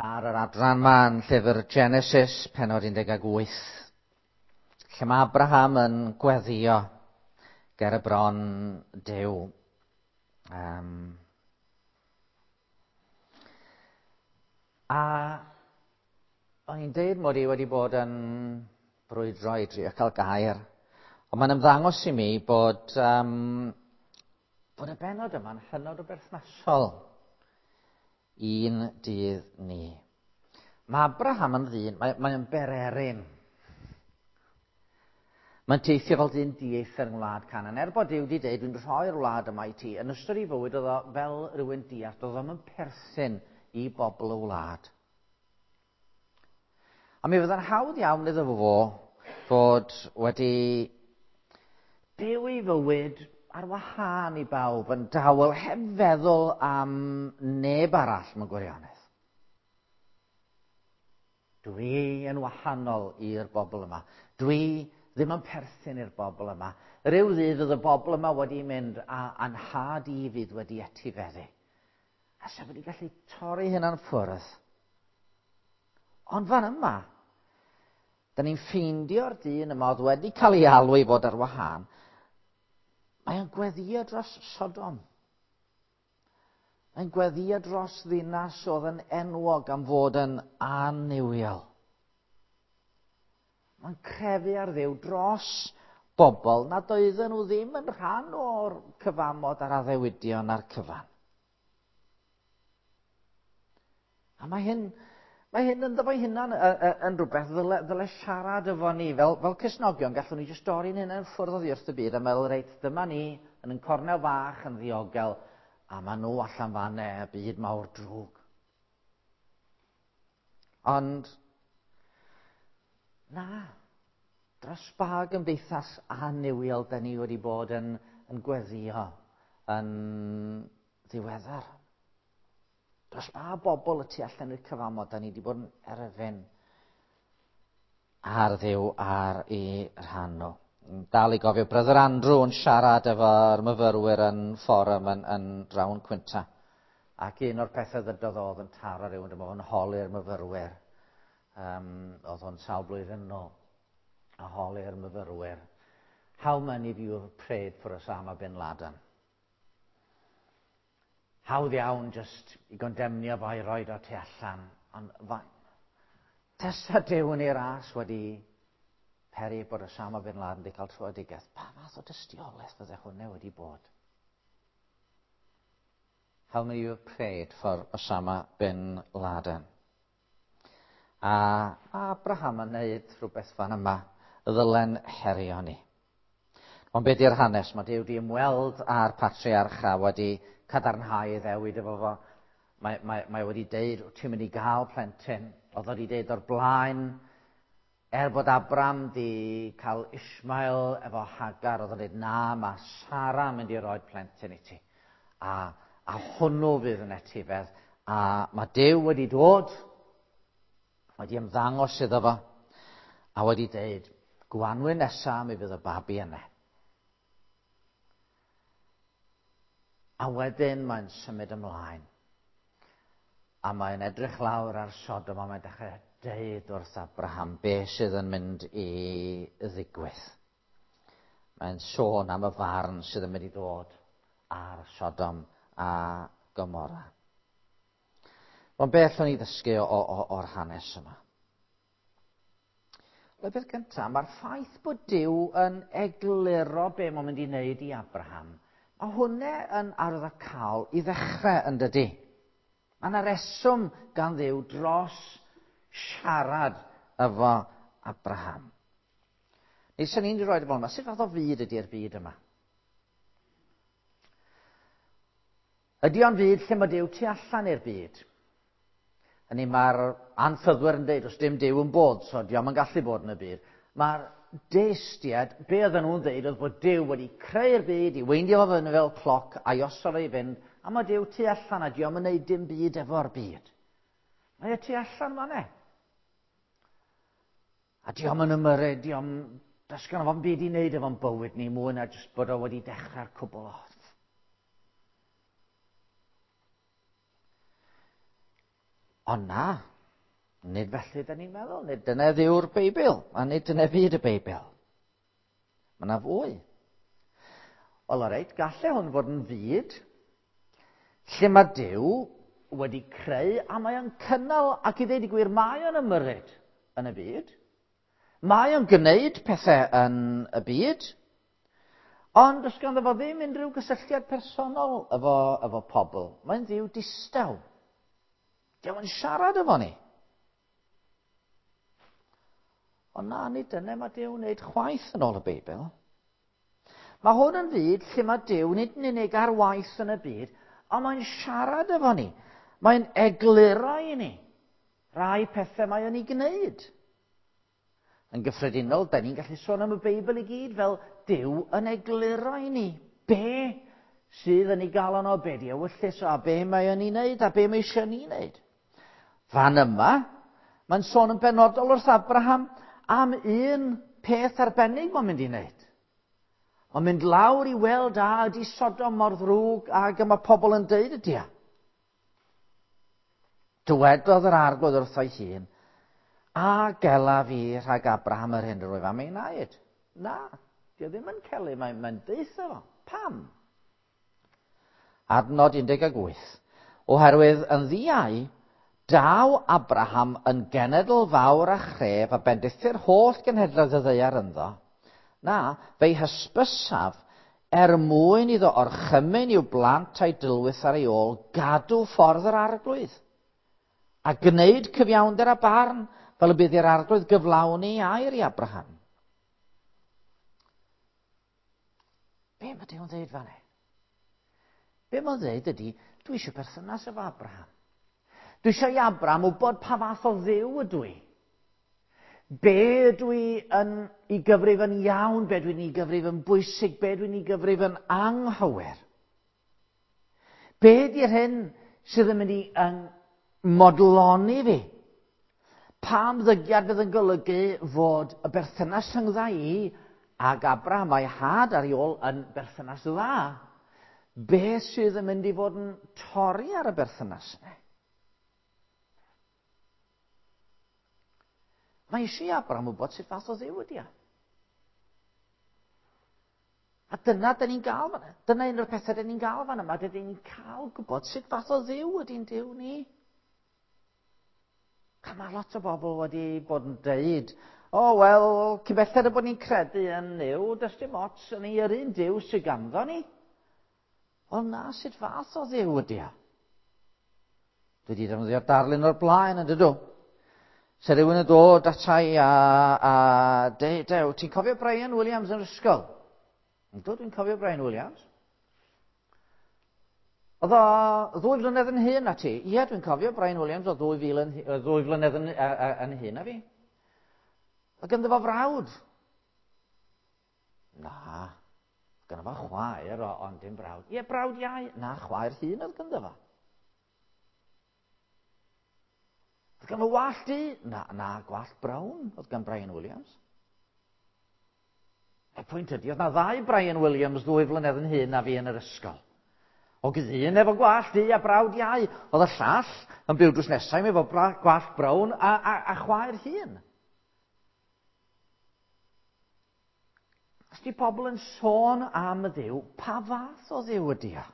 Ar yr adran 'ma yn llyfr Genesis, pennod 18, lle mae Abraham yn gweddio ger y bron Duw. A o'n i'n deud mod i wedi bod yn brwydro i drio cael gair, ond mae'n ymddangos i mi bod y bennod yma'n hynod o berthnasol i'n dydd ni. Mae Abraham yn ddyn, mae'n bererin. Mae'n teithio fel dyn dieithr yng ngwlad Canaan. Er bod Duw wedi dweud, dwi'n rhoi'r wlad yma i ti, yn ystod ei fywyd oedd o fel rhywun diarth, oedd o'm yn perthyn i bobl y wlad. A mi fydda'n hawdd iawn iddo fo fod wedi byw ei fywyd ar wahân i bawb, yn dawel, heb feddwl am neb arall mewn gwirionedd. Dwi yn wahanol i'r bobl yma. Dwi ddim yn perthyn i'r bobl yma. Rhyw ddydd fydd y bobl yma wedi mynd a anhad i fydd wedi etifeddu. A sa wedi gallu torri hynna'n ffwrdd. Ond fan yma, da ni'n ffeindio'r dyn yma oedd wedi cael ei alw i fod ar wahân. Mae o'n gweddio dros Sodom. Mae'n gweddio dros ddinas oedd yn enwog am fod yn annuwiol. Mae'n crefu ar Dduw dros bobl nad oedden nhw ddim yn rhan o'r cyfamod a'r addewidion a'r cyfan. A mae hyn ynddo fo'i hunan yn rhywbeth ddyle siarad efo ni. Fel Cristnogion, gallwn ni jyst dorri'n hunain ffwrdd oddi wrth y byd a meddwl, reit, dyma ni yn ein cornel fach yn ddiogel, a maen nhw allan fan y byd mawr drwg. Ond, na, dros ba gymdeithas annuwiol da ni wedi bod yn gweddio yn ddiweddar. Dros ba bobl y tu allan i'r cyfamod da ni wedi bod yn erfyn ar Dduw ar ei rhan nhw. Dal i gofio Brother Andrew yn siarad efo'r myfyrwyr yn fforwm yn Round Quinta. Ac un o'r pethau ddydodd oedd yn taro rhywun, dyma fo'n holi'r myfyrwyr. Oedd o'n sawl blwyddyn nôl. A holi'r myfyrwyr. How many of you have prayed for Osama bin Laden? Hawdd iawn just i gondemnio fo i roed o tu allan. Ond tasa Duw yn ei ras wedi peri bod Osama bin Laden wedi cael tröedigaeth, pa fath o dystiolaeth fydde hwnna wedi bod? How many of you have prayed for Osama bin Laden? A Abraham yn neud rhywbeth fan yma, ddylen herio ni. Ond be di'r hanes? Mae Duw wedi ymweld â'r patriarch a wedi cadarnhau ei ddewid efo fo. Mae wedi deud, ti'n mynd i gael plentyn. Oedd wedi deud o'r blaen, er bod Abram di cael Ishmael efo Hagar, oedd o'n dweud, na, mae Sara yn mynd i roi plentyn i ti. A hwnnw fydd yn etifedd. A mae Duw wedi dod, wedi ymddangos iddo fo, a wedi deud, gwanwyn nesa mi fydd y babi yna. A wedyn mae'n symud ymlaen. A mae'n edrych lawr ar Sodom a mae'n dechrau deud wrth Abraham be sydd yn mynd i ddigwydd. Mae'n sôn am y farn sydd yn mynd i ddod ar Sodom a Gomorra. Ond be allwn ni ddysgu o'r hanes yma? Wel, beth gyntaf, mae'r ffaith bod Duw yn egluro be mae'n mynd i wneud i Abraham, mae hwnna yn arwyddocaol i ddechrau yn dydi. Mae yna reswm gan Dduw dros siarad efo Abraham. Neu sy'n ni'n rhoi fel yma, sut fath o fyd ydy'r byd yma? Ydy o'n fyd lle mae Duw tu allan i'r byd? Hynny mae'r anffyddwyr yn deud, os dim Duw yn bod, so dio'm yn gallu bod yn y byd. Mae'r deistiad, be oedden nhw'n ddeud oedd bod Duw wedi creu'r byd i weindio fo fyny fel cloc a'i osod o i fynd, a mae Duw tu allan a dio'm yn neud dim byd efo'r byd. Mae e tu allan fan e. A dio'm yn ymyrryd, dio'm, does gynno fo'm byd i wneud efo'n bywyd ni mwy na jyst bod o wedi dechrau'r cwbl off. Ond na, Nid felly da ni'n meddwl, nid dyna ddiw'r Beibl, a nid dyna fyd y Beibl. Mae yna fwy. Wel, o reit, gallai hwn fod yn fyd lle mae Duw wedi creu a mae o'n cynnal ac i ddeud y gwir mae o'n ymyrryd yn y byd. Mae o'n gwneud pethau yn y byd, ond does ganddo fo ddim unrhyw gysylltiad personol efo, efo pobl. Mae'n ddiw distaw. Dio'm yn siarad efo ni. Ond na, nid dyna mae Duw'n wneud chwaith yn ôl y Beibl. Mae hwn yn fyd lle mae Duw nid yn unig ar waith yn y byd, ond mae'n siarad efo ni. Mae'n egluro i ni rai pethau mae o'n ei gwneud. Yn gyffredinol, da ni'n gallu sôn am y Beibl i gyd fel Duw yn egluro i ni be sydd yn ei galon o, be di ewyllys o, a be mae o'n ei wneud, a be mae eisiau ni wneud. Fan yma, mae'n sôn yn benodol wrth Abraham am un peth arbennig mae'n mynd i wneud. Mae'n mynd lawr i weld a ydy Sodom mor ddrwg ag y mae pobl yn deud ydy e. Dywedodd yr arglwydd wrtho'i hun, a gela fi rhag Abraham yr hyn yr wyf am ei wneud. Na, di o ddim yn celu, mae'n mae deutha fo. Pam? Adnod 18. Oherwydd yn ddiau, daw Abraham yn genedl fawr a chref a bendithir holl genhedloedd y ddaear ynddo. Na, fe'i hysbysaf er mwyn iddo orchymyn i'w blant a'i dylwyth ar ei ôl gadw ffordd yr arglwydd, a gwneud cyfiawnder a barn fel y bydd i'r arglwydd gyflawni air i Abraham. Be mae Duw'n dweud fan hyn? Be mae'n dweud ydy, dwi eisiau perthynas efo Abraham. Dwi eisiau i Abraham wybod pa fath o ddiw ydw i. Be ydw i yn ei gyfrif yn iawn, be dwi'n ei gyfrif yn bwysig, be dwi'n ei gyfrif yn anghywir. Be ydy'r hyn sydd yn mynd i yn modloni fi? Pa ymddygiad fydd yn golygu fod y berthynas rhyngdda i ag Abraham a'i had ar ei ôl yn berthynas dda? Be sydd yn mynd i fod yn torri ar y berthynas yna? Mae eisiau i Abraham wybod sut fath o ddiw ydy o. A dyna dyn ni'n gael fan Dyna un o'r pethau dyn ni'n gael fan yma. Dyn ni'n cael gwybod sut fath o ddiw ydy'n diw ni. A mae lot o bobl wedi bod yn deud, o, oh, wel, cyn belled y bod ni'n credu yn Nuw, does dim ots yn ei yr un Duw sydd ganddo ni. Wel na, sut fath o ddiw ydy o? Dwi wedi defnyddio'r darlun o'r blaen yn dydw. Se rhywun yn dod atai a, a deud, dew, ti'n cofio Brian Williams yn yr ysgol? Yndw, dwi'n cofio Brian Williams. Oedd o ddwy flynedd yn hyn na ti? Ie, dwi'n cofio Brian Williams o ddwy, fil yn, ddwy flynedd yn, yn hyn na fi. Oedd ganddo fo frawd. Na, ganddo fo chwaer, ond dim brawd. Ie, brawd iau. Na, chwaer hyn oedd ganddo fo. Oedd gan fo wallt du? Na, na, gwallt brown oedd gan Brian Williams. Y pwynt ydy, oedd na ddau Brian Williams ddwy flynedd yn hyn na fi yn yr ysgol. O gyda un efo gwallt du a brawd iau, oedd y llall yn byw drws nesau efo gwallt brown a, a, a chwaer hun. Os di pobl yn sôn am y ddiw, pa fath o ddiw ydy o?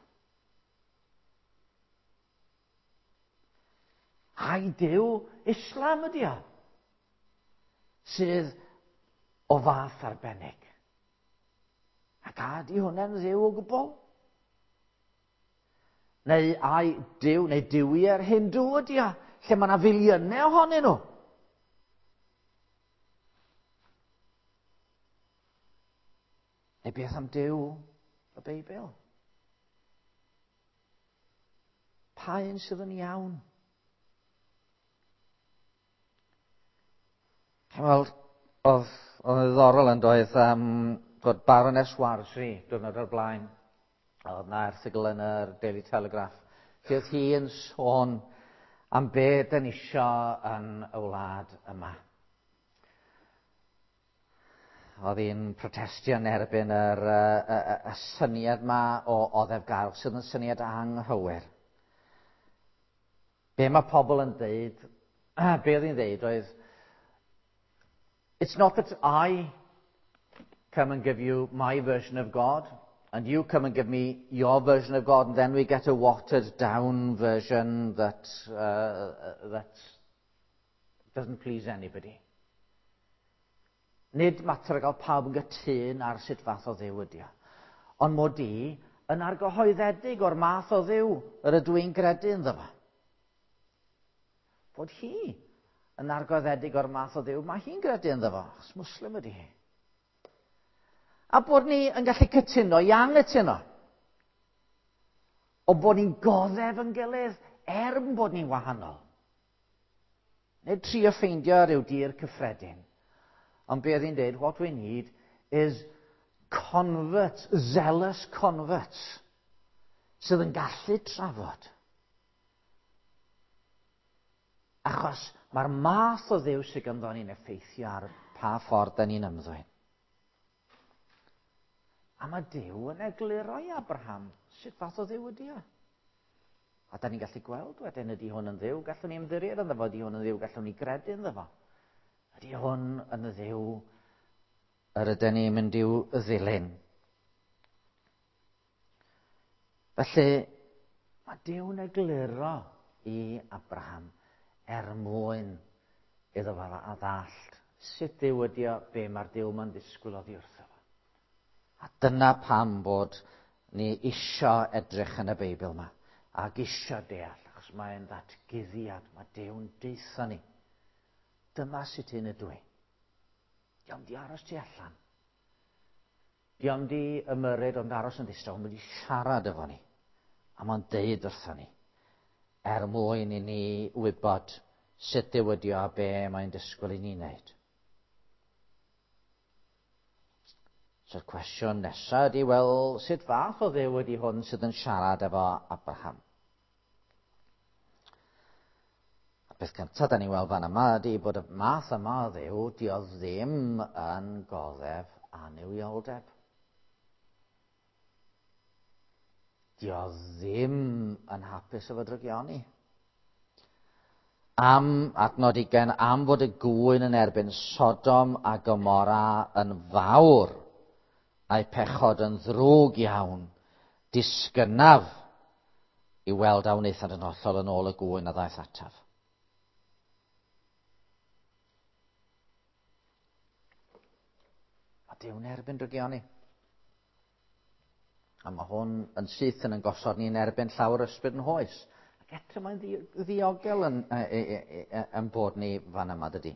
Ai Duw Islam ydy o? Sydd o fath arbennig. Ac a ydy hwnna'n ddiw o gwbl? Neu ai Duw, neu duwiau'r Hindw ydy o, lle mae yna filiynau ohonyn nhw. Neu beth am Duw y Beibl? Pa un sydd yn iawn? Wel, oedd, oedd yn ddiddorol yn doedd um, fod Baroness Warsi diwrnod o'r blaen. Oedd na erthygl yn yr Daily Telegraph lle oedd hi yn sôn am be dyn isio yn y wlad yma. Oedd hi'n protestio yn erbyn yr, y, y, y syniad ma o oddefgarwch sydd yn syniad anghywir. Be mae pobl yn deud Be oedd hi'n ddeud oedd, "It's not that I come and give you my version of God, and you come and give me your version of God, and then we get a watered down version that doesn't please anybody." Nid mater o gael pawb yn gytûn ar sut fath o Dduw ydi o. Ond mod i yn argyhoeddedig o'r math o Dduw yr ydw i'n gredu ynddo fo. Bod hi yn argyhoeddedig o'r math o Dduw mae hi'n gredu ynddo fo, achos Muslim ydi hi. A bod ni yn gallu cytuno i anghytuno. O bod ni'n goddef yn gilydd er bod ni'n wahanol. Nid trio ffeindio rhyw dir cyffredin. Ond be oedd hi'n dweud, "What we need is converts, zealous converts, sydd yn gallu trafod. Achos mae'r math o Dduw sydd ganddo ni'n effeithio ar pa ffordd da ni'n ymddwyn." A mae Duw yn egluro i Abraham sut fath o Dduw ydy o. A da ni'n gallu gweld wedyn, ydy hwn yn Dduw gallwn ni ymddiried ynddo fo, ydy hwn yn Dduw gallwn ni gredu ynddo fo? Ydy hwn yn y Dduw yr ydyn ni'n mynd i'w ddilyn? Felly, mae Duw'n egluro i Abraham er mwyn iddo fo a ddallt sut Dduw ydy o, be mae'r Duw ma'n ddisgwyl oddi wrtho fo. A dyna pam bod ni isio edrych yn y Beibl yma ac isio deall, achos mae'n ddatguddiad, mae Duw'n deutha ni. Dyma sut un ydw i. Dio'm di aros tu allan. Dio'm di ymyrryd ond aros yn ddistaw, ond wedi siarad efo ni. A mae'n deud wrtho ni, er mwyn i ni wybod sut Dduw ydi o a be mae'n disgwyl i ni wneud. So'r cwestiwn nesaf ydy, wel, sut fath o Dduw ydy hwn sydd yn siarad efo Abraham? A beth cyntaf da ni'n weld fan yma ydy bod y math yma o Dduw, di o ddim yn goddef annuwioldeb. Di o ddim yn hapus efo drygioni. Am adnod 20, am fod y gŵyn yn erbyn Sodom a Gomorra yn fawr, a'i pechod yn ddrwg iawn, disgynnaf i weld a wnaethant yn hollol yn ôl y gŵyn a ddaeth ataf. Mae Duw'n erbyn drygioni. A mae hwn yn syth yn gosod ni'n erbyn llawer ysbryd ein hoes. Ac eto mae'n ddiogel yn bod ni fan yma, dydy.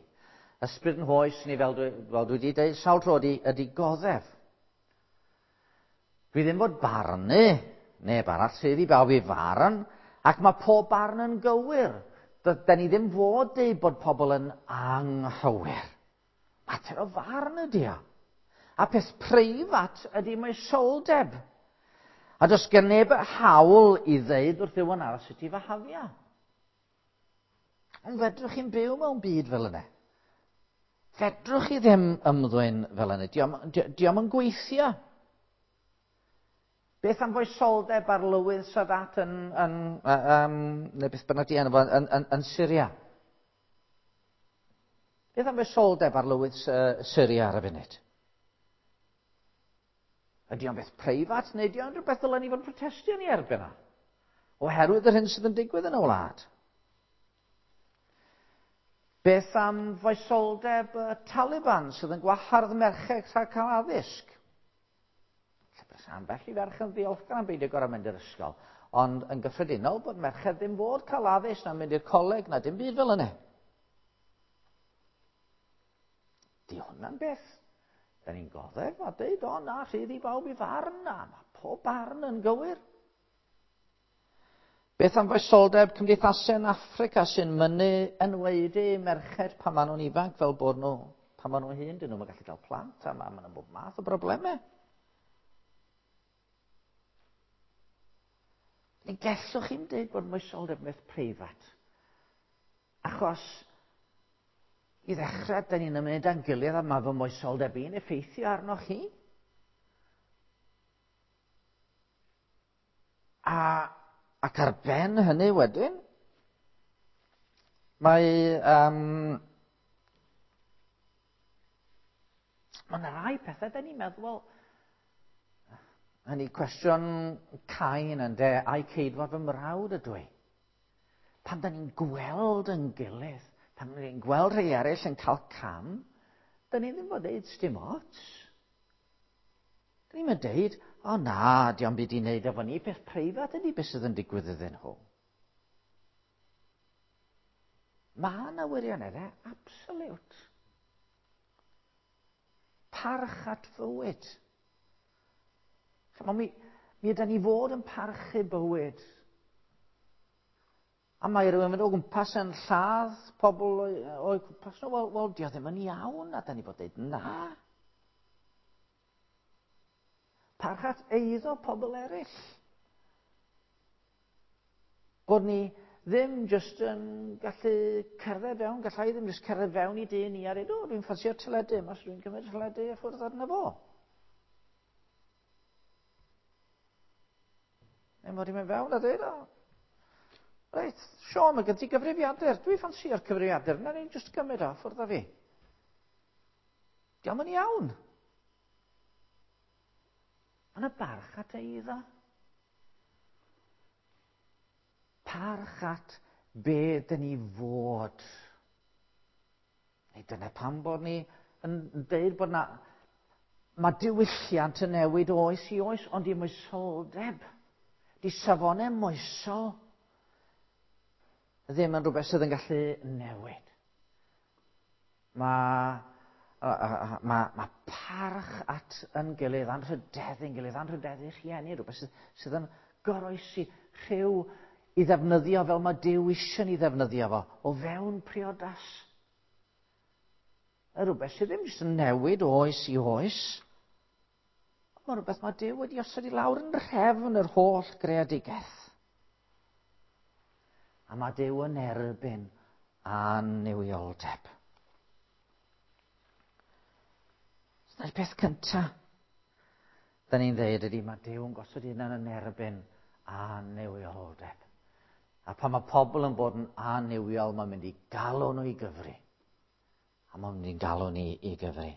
Ysbryd ein hoes ni, fel dwi wedi dweud sawl tro, ydy goddef. Dwi ddim fod barnu neb arall, sydd i bawb i farn, ac mae pob barn yn gywir. Da ni ddim fod deud bod pobl yn anghywir. Mater o farn ydy o. A peth preifat ydy moesoldeb. A does gen neb hawl i ddeud wrth rhywun arall sut i fihafio. Ond fedrwch chi'n byw mewn byd fel yna? Fedrwch chi ddim ymddwyn fel yna. Dio'm yn gweithio. Beth am foesoldeb arlywydd Sadat yn, neu beth bynnag di enw fo, yn Syria? Beth am foesoldeb arlywydd Syria ar y funud? Ydy o'n beth preifat neu ydy o'n rhywbeth ddylen ni fod yn protestio ni erbyn o? Oherwydd yr hyn sydd yn digwydd yn y wlad. Beth am foesoldeb y Taliban sydd yn gwahardd merched rhag cael addysg? Lle ambell i ferch yn ddiolchgar am beidio gorfod mynd i'r ysgol. Ond yn gyffredinol bod merched ddim fod cael addysg na mynd i'r coleg na dim byd fel yna. Di hwnna'n beth da ni'n goddef a deud, "O na, rhydd i bawb i farn, na, mae pob barn yn gywir"? Beth am foesoldeb cymdeithasau yn Affrica sy'n mynnu enwaedu merched pan maen nhw'n ifanc fel bod nhw, pan maen nhw'n hŷn, dyn nhw'n gallu cael plant a maen nhw'n bob math o broblemau? Ni gellwch chi'n dweud bod moesoldeb yn beth preifat. Achos i ddechrau, da ni'n ymwneud â'n gilydd a mae fy moesoldeb i'n effeithio arnoch chi. Ac ar ben hynny wedyn, Mae... Um, mae yna rai pethau da ni'n meddwl, wel, hynny cwestiwn Cain yn de, ai ceidwad fy mrawd ydw i? Pan da ni'n gweld yn gilydd, pan da ni'n gweld rhai eraill yn cael cam, da ni ddim fod deud dim ots. Da ni'n mynd deud, o na, diolch byd i wneud efo ni, peth preifat ydy beth sydd yn digwydd iddyn nhw. Mae yna wirioneddau absolute. Parch at fywyd. Chymod, mi, mi ydy ni fod yn parchu bywyd. A mae rhywun yn mynd o gwmpas yn lladd pobl o'i gwmpas nhw. Wel, wel, di o ddim yn iawn, a da ni fod dweud na. Parch at eiddo pobl eraill. Bod ni ddim jyst yn gallu cerdded fewn, gallai ddim jyst cerdded fewn i dyn ni a dweud, o, dwi'n ffansio'r teledu yma, so dwi'n cymryd teledu a ffwrdd arno fo. Neu mod i'n mynd fewn a dweud, o, reit, Sean, mae gen ti gyfrifiadur, dwi'n ffansio'r cyfrifiadur, na ni'n jyst gymryd o, ffwrdd â fi. Diolch yn iawn. Mae yna barch at eiddo. Parch at be dyn ni fod. Neu dyna pam bod ni yn deud bod na... Mae diwylliant yn newid oes i oes, ond i moesoldeb, di safonau moesol, ddim yn rhywbeth sydd yn gallu newid. Mae, mae, mae parch at yn gilydd, anrhydeddu'n gilydd, anrhydeddu rhieni, rhywbeth sydd, sydd yn goroesi rhyw i ddefnyddio fel mae Duw eisiau ni ddefnyddio fo, o fewn priodas. Y rhywbeth sydd ddim jyst yn newid oes i oes. Mae rhywbeth mae Duw wedi osod i lawr yn rhefn yr holl greadigaeth. A mae Duw yn erbyn annuwioldeb. Dyna'r peth cyntaf. Da ni'n dweud ydy mae Duw yn gosod hunan yn erbyn annuwioldeb. A pan mae pobl yn bod yn annuwiol, mae'n mynd i galw nhw i gyfri. A mae'n mynd i'n galw ni i gyfri.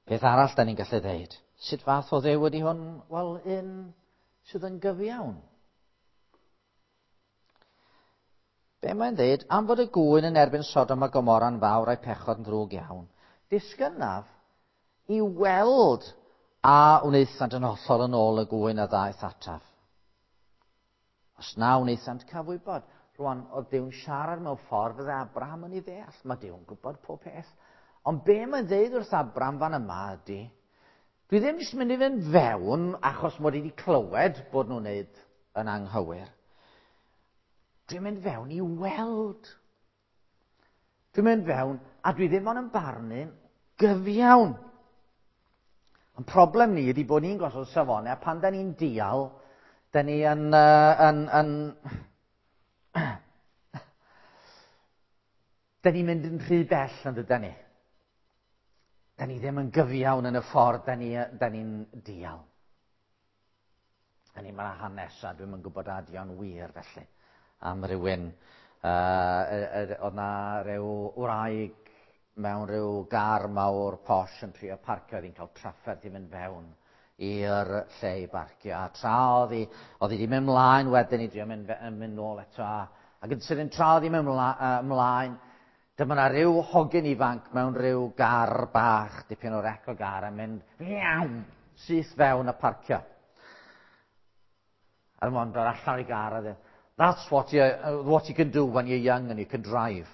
Peth arall da ni'n gallu dweud. Sut fath o ddew ydy hwn? Wel, un sydd yn gyfiawn. Be mae'n dweud? Am fod y gŵyn yn erbyn Sodom a Gomora'n fawr a'i pechod yn ddrwg iawn, disgynnaf i weld a wnaethant yn hollol yn ôl y gŵyn a ddaeth ataf. Os na wnaethant cael wybod, rwan oedd Duw'n siarad mewn ffordd fydde Abraham yn ei ddeall. Mae Duw'n gwybod pob peth. Ond be mae'n dweud wrth Abraham fan yma ydy, dwi ddim jyst mynd i fynd fewn achos mod i wedi clywed bod nhw'n wneud yn anghywir. Dwi'n mynd fewn i weld. Dwi'n mynd fewn a dwi ddim ond yn barnu'n gyfiawn. Ond problem ni ydy bod ni'n gosod safonau a pan da ni'n dial, da ni yn... Uh, yn, yn da ni'n mynd yn rhy bell yn dyda ni. Da ni ddim yn gyfiawn yn y ffordd da ni'n ni, dial. Hynny mae hanes a dwi'm yn gwybod a ydi o'n wir felly am rywun. Uh, oedd na rhyw wraig mewn rhyw gar mawr posh yn trio parcio, oedd hi'n cael trafferth i fynd fewn i'r lle i barcio. A tra oedd hi, oedd hi wedi mynd mlaen wedyn i drio mynd, mynd nôl eto. A, ac yn sydyn tra oedd hi'n mynd mlaen, dyma na rhyw hogyn ifanc mewn rhyw gar bach, dipyn o rec o gar, yn mynd iawn, syth fewn a parcio. A dyma dod allan o'i gar a dweud, that's what you, what you can do when you're young and you can drive.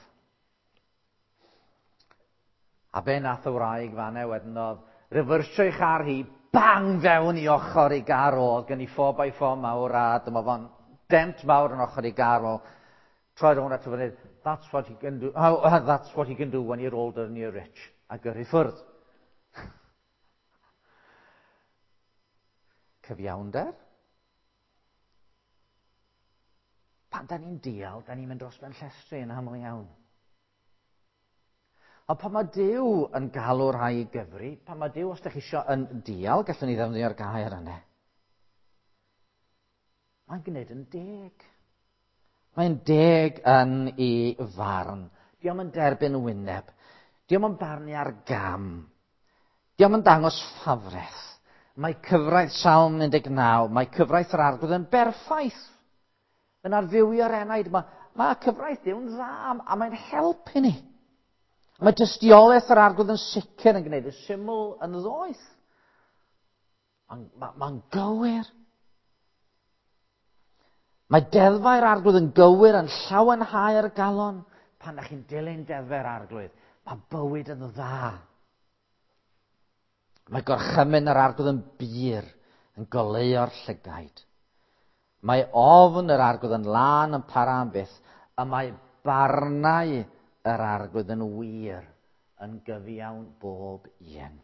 A be nath y wraig fanne wedyn oedd, refersio ei char hi, bang fewn i ochr ei gar o, oedd gen i 4x4 mawr a dyma fo'n dent mawr yn ochr ei gar o. Troi rownd ato fo that's what you can do, oh, that's what you can do when you're older and you're rich. A gyrru ffwrdd. Cyfiawnder? Pan da ni'n dial, da ni'n mynd dros ben llestri yn aml iawn. Ond pan mae Duw yn galw rhai i gyfri, pan mae Duw, os ydych chi eisiau, yn dial, gallwn ni ddefnyddio'r gair yna. Mae'n gwneud yn deg. Mae'n deg yn ei farn. Dio'm yn derbyn wyneb. Dio'm yn barnu ar gam. Dio'm yn dangos ffafreth. Mae cyfraith Salm 19, mae cyfraith yr Arglwydd yn berffaith. Yn arfywio'r enaid. Mae cyfraith Duw'n dda a mae'n help i ni. Mae tystiolaeth yr Arglwydd yn sicr yn gwneud y syml yn ddoeth. Mae'n gywir. Mae deddfau'r Arglwydd yn gywir, yn llawenhau'r galon. Pan ydych chi'n dilyn deddfau'r Arglwydd, mae bywyd yn dda. Mae gorchymyn yr Arglwydd yn bur, yn goleuo'r llygaid. Mae ofn yr Arglwydd yn lân yn para am byth, a mae barnau yr Arglwydd yn wir, yn gyfiawn bob un.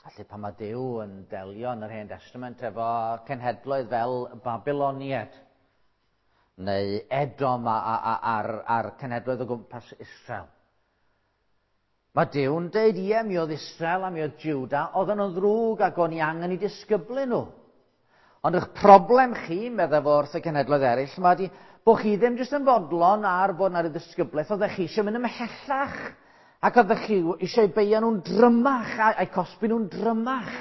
Felly pan mae Duw yn delio yn yr Hen Testament efo cenhedloedd fel Babyloniaid, neu Edom a'r cenhedloedd o gwmpas Israel, mae Duw'n deud, ie, mi oedd Israel a mi oedd Juda, oedden nhw'n ddrwg ac o'n i angen i disgyblu nhw. Ond eich problem chi, meddai fo wrth y cenhedloedd eraill, mae di bod chi ddim jyst yn fodlon ar fod 'na ryw ddisgyblaeth, oeddech chi eisiau mynd ymhellach, ac oeddech chi eisiau beio nhw'n drymach, a'u cosbi nhw'n drymach.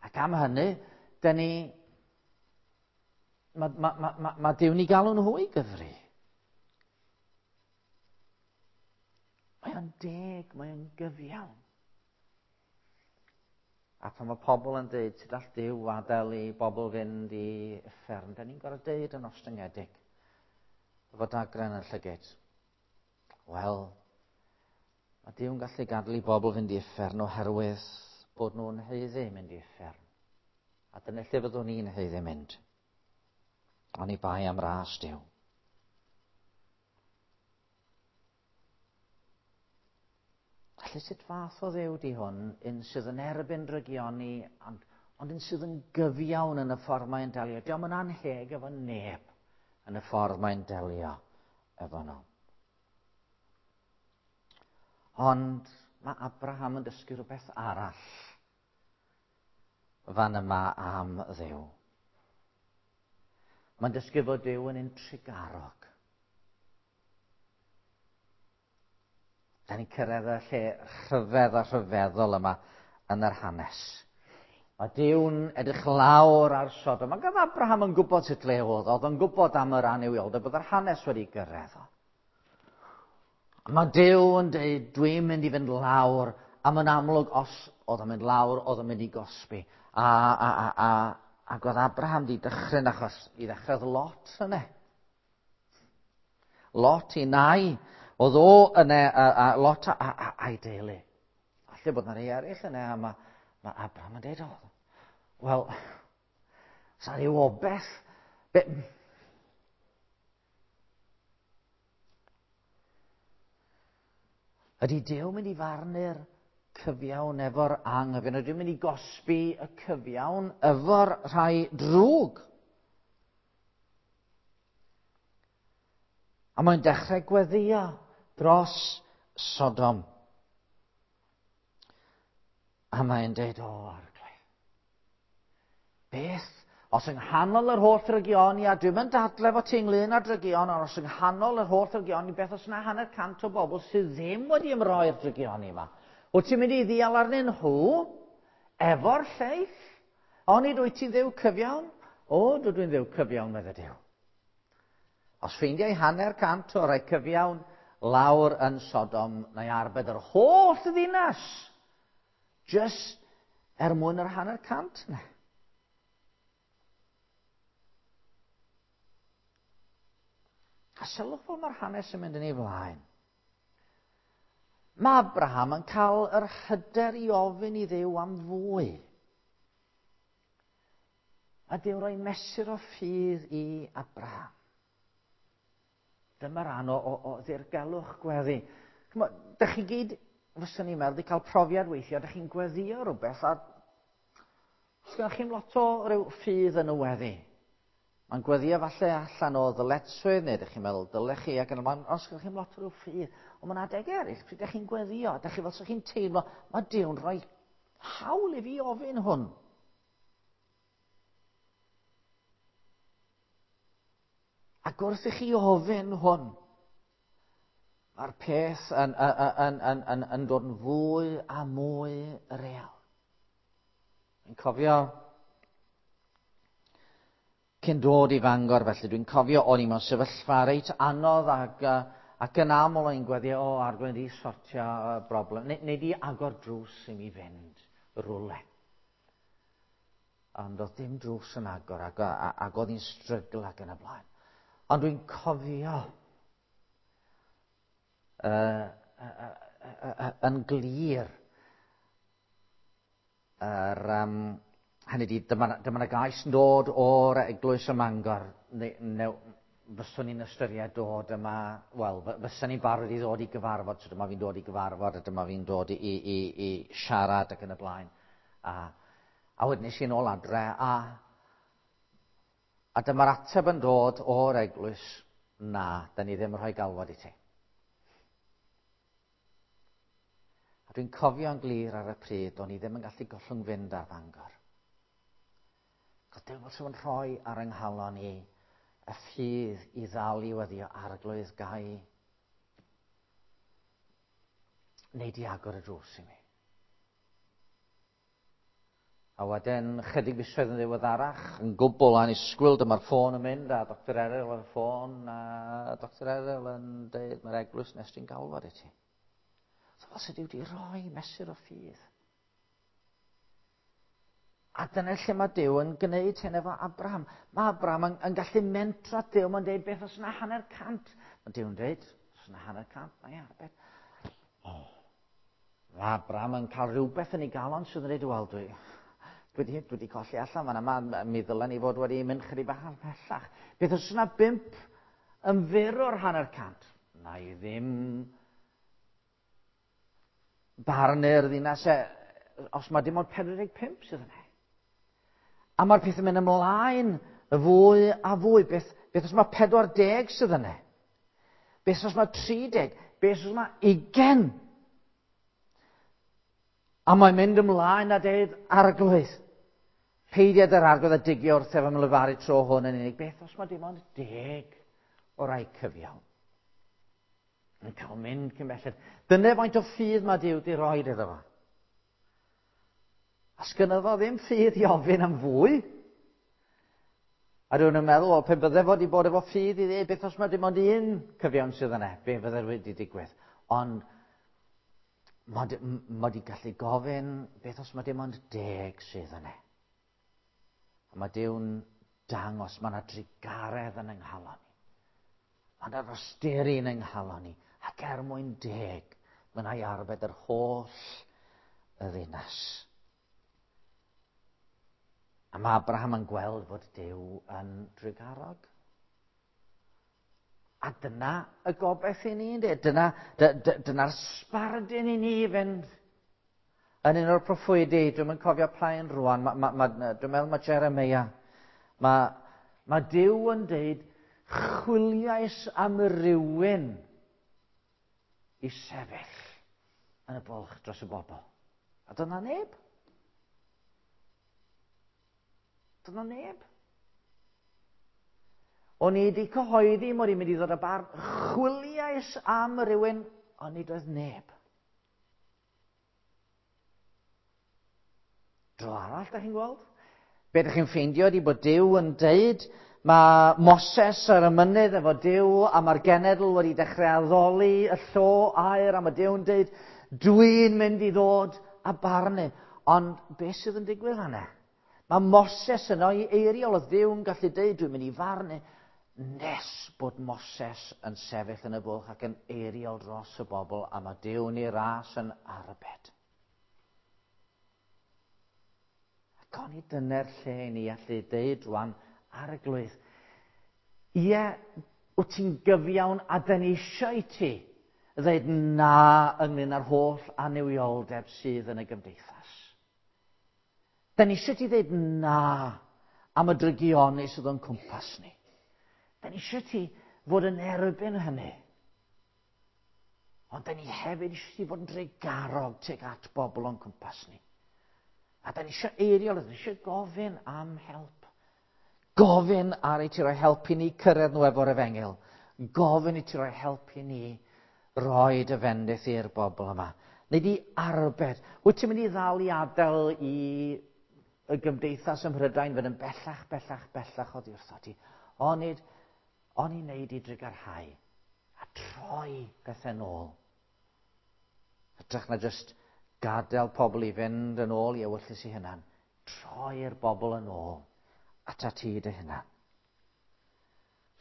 Ac am hynny, dyn ni... Mae ma, ma, ma, ma Duw'n i galw nhw i gyfri. Mae o'n deg, mae o'n gyfiawn. A pan mae pobl yn dweud, sut all Duw adael i bobl fynd i uffern, da ni'n gorfod deud yn ostyngedig, efo dagrau yn y llygid. Wel, mae Duw'n gallu gadael i bobl fynd i uffern oherwydd bod nhw'n haeddu mynd i uffern. A dyna lle fyddwn ni'n haeddu mynd. Oni bai am ras Duw. Felly sut fath o Dduw di hwn, un sydd yn erbyn drygioni, ond un sydd yn gyfiawn yn y ffordd mae'n delio. Dio'm yn anheg efo neb yn y ffordd mae'n delio efo nhw. Ond mae Abraham yn dysgu rhywbeth arall fan yma am Dduw. Mae'n dysgu fod Duw yn un trugarog. Da ni'n cyrraedd y lle rhyfedd a rhyfeddol yma yn yr hanes. Mae Duw'n edrych lawr ar Sodom. Ac oedd Abraham yn gwybod sut le oedd. Oedd yn gwybod am yr annuwioldeb, bod yr hanes wedi gyrraedd o. A mae Duw yn dweud, dwi'n mynd i fynd lawr, a mae'n amlwg os oedd o'n mynd lawr, oedd o'n mynd i gosbi. A, ac oedd Abraham di dychryn achos i ddechrau Lot yna. Lot i nai, oedd o yna, a Lot a'i deulu. Falle bod yna rei eraill yna, a mae Abraham yn dweud, o, wel, sa rhyw obeth. Be, Ydy Duw mynd i farnu'r cyfiawn efo'r anghyfiawn? Ydy mynd i gosbi y cyfiawn efo'r rhai drwg? A mae'n dechrau gweddio dros Sodom. A mae'n deud, o, Arglwydd, beth os yng nghanol yr holl drygioni, a dwi'm yn dadle fo ti ynglyn â'r drygion, ond os yng nghanol yr holl drygioni, beth os yna 150 o bobl sydd ddim wedi ymroi'r drygioni yma? Wyt ti'n mynd i ddial arnyn nhw efo'r lleill? Onid wyt ti'n Dduw cyfiawn? O, dwi dwi'n Dduw cyfiawn, medde Duw. Os ffeindiau 50 o'r rhai cyfiawn lawr yn Sodom, na i arbed yr holl ddinas, just er mwyn yr 50 yna. A sylwch fel mae'r hanes yn mynd yn ei flaen. Mae Abraham yn cael yr hyder i ofyn i Dduw am fwy. A Duw roi mesur o ffydd i Abraham. Dyma ran o ddirgelwch gweddi. Dych chi gyd, fyswn i'n meddwl, wedi cael profiad weithiau, dych chi'n gweddio rhywbeth a sgynnoch chi'm lot o ryw ffydd yn y weddi. Mae'n gweddio falle allan o ddyletswydd, neu ydych chi'n meddwl dylech chi, ac yn y man, os sgynnoch chi'm lot o ryw ffydd. Ond mae'n adeg eraill, pryd ydych chi'n gweddio, ydych chi fel chi'n teimlo, mae Duw'n rhoi hawl i fi ofyn hwn. Ac wrth i chi ofyn hwn, mae'r peth yn dod yn fwy a mwy real. Dwi'n cofio cyn dod i Fangor felly, dwi'n cofio o'n i mewn sefyllfa reit anodd ac yn aml o'n i'n gweddio, o, Arglwydd, i sortio y broblem, neu di agor drws i mi fynd rhywle. Ond oedd dim drws yn agor ac oedd hi'n strygl ac yn y blaen. Ond dwi'n cofio yn glir yr, hynny ydi, dyma 'na gais yn dod o'r eglwys ym Mangor, neu fyswn i'n ystyried dod yma, wel, fyswn i'n barod i ddod i gyfarfod, so dyma fi'n dod i gyfarfod, a dyma fi'n dod i siarad ac yn y blaen. A wedyn nes i nôl adre, a dyma'r ateb yn dod o'r eglwys, na, da ni ddim yn rhoi galwad i ti. A dwi'n cofio'n glir ar y pryd, o'n i ddim yn gallu gollwng fynd ar Fangor. Cos Duw wrth yn rhoi ar yng nghalon i y ffydd i ddal i weddio, Arglwydd gai neu di agor y drws i mi. A wedyn, chydig fisoedd yn ddiweddarach, yn gwbl annisgwyl, dyma'r ffôn yn mynd, a Dr Eryl ar y ffôn, a Dr Eryl yn dweud, mae'r eglwys nes ti'n galwad i ti. So fel sydd wedi rhoi mesur o ffydd. A dyna lle mae Duw yn gwneud hyn efo Abraham. Mae Abraham yn gallu mentro Duw, mae'n dweud beth os yna 150. Mae Duw yn dweud, os yna 150, mae arbed. Oh. Mae Abraham yn cael rhywbeth yn ei galon sydd yn dweud, wel, dwi wedi colli allan fan yma, mi ddylen ni fod wedi mynd chydig bach ymhellach. Beth os yna 5 yn fyr o'r 150? Na i ddim barnu'r ddinas os mae dim ond 45 sydd yna. A mae'r peth yn mynd ymlaen y fwy a fwy. Beth os mae 40 sydd yna? Beth os mae 30? Beth os mae 20? A mae'n mynd ymlaen a deud, Arglwydd, peidiad yr Arglwydd a digio wrth efo lefaru tro hwn yn unig. Beth os mae dim ond 10 o rai cyfiawn? Yn cael mynd cyn belled. Dyna faint o ffydd mae Duw wedi rhoi iddo fo. A sgynno fo ddim ffydd i ofyn am fwy. A rhywun yn meddwl, wel, pe bydde fo wedi bod efo ffydd i ddweud, beth os mae dim ond un cyfiawn sydd yna, be fydde wedi digwydd? Ond mae wedi gallu gofyn, beth os mae dim ond 10 sydd yna? A mae Duw'n dangos, mae yna drugaredd yn yng nghalon ni. Mae yna rosteri yn yng nghalon ni. Ac er mwyn 10, mae yna i arbed yr holl y ddinas. A mae Abraham yn gweld fod Duw yn drugarog. A dyna y gobaith i ni, ynddi? Dyna'r sbardun i ni fynd. Yn un o'r proffwydi, dwi'm yn cofio pa un rwan, dwi'n meddwl mae Jeremia. Mae Duw yn deud, chwiliais am rywun i sefyll yn y bwlch dros y bobl. A dyna neb. Dyna neb. O'n i wedi cyhoeddi mod i'n mynd i ddod â barn, chwiliais am rywun, ond nid oedd neb. Dro arall, da chi'n gweld? Be da chi'n ffeindio ydi bod Duw yn deud, mae Moses ar y mynydd efo Duw, a mae'r genedl wedi dechrau addoli y llo aur, a mae Duw yn deud, dwi'n mynd i ddod a barnu. Ond beth sydd yn digwydd fan'na? Mae Moses yno i eiriol, oedd Duw yn gallu deud, dwi'n mynd i farnu, nes bod Moses yn sefyll yn y bwlch ac yn eiriol dros y bobl, a mae Duw yn ei ras yn arbed. Ac oni dyna'r lle i ni allu deud rwan ar y glwydd, ie, wyt ti'n gyfiawn a dyn ni eisiau i ti ddeud na ynglyn â'r holl annuwioldeb sydd yn y gymdeithas. Da ni eisiau ti ddeud na am y drygioni sydd o'n cwmpas ni. Da ni eisiau ti fod yn erbyn hynny. Ond da ni hefyd eisiau ti fod yn drugarog tuag at bobl o'n cwmpas ni. A da ni eisiau eiriol, da ni eisiau gofyn am help. Gofyn ar i ti roi helpu ni cyrraedd nhw efo'r efengyl. Gofyn i ti roi helpu ni roi dy fendith i'r bobl yma. Neu di arbed. Wyt ti'n mynd i ddal i adael i y gymdeithas ym Mhrydain fynd yn bellach, bellach, bellach oddi wrtho ti? Onid, oni wneud i drugarhau a troi bethau nôl. Hytrach na jyst gadael pobl i fynd yn ôl i ewyllys i hunan. Troi'r bobl yn ôl ata ti dy hunan.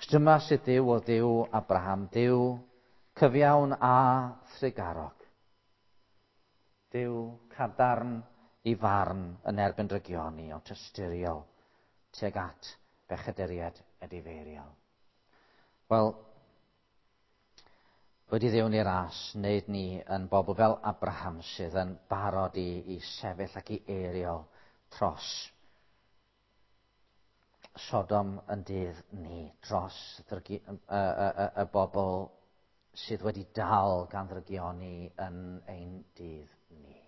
Dyma sydd Duw o Dduw Abraham, Duw cyfiawn a thrugarog. Duw cadarn i farn yn erbyn drygioni, ond tosturiol tuag at bechaduriaid edifeiriol. Wel, wedi Dduw ni ras, wneud ni yn bobl fel Abraham sydd yn barod i sefyll ac i eiriol tros Sodom yn dydd ni, dros ddrygi, y bobl sydd wedi dal gan ddrygioni yn ein dydd ni.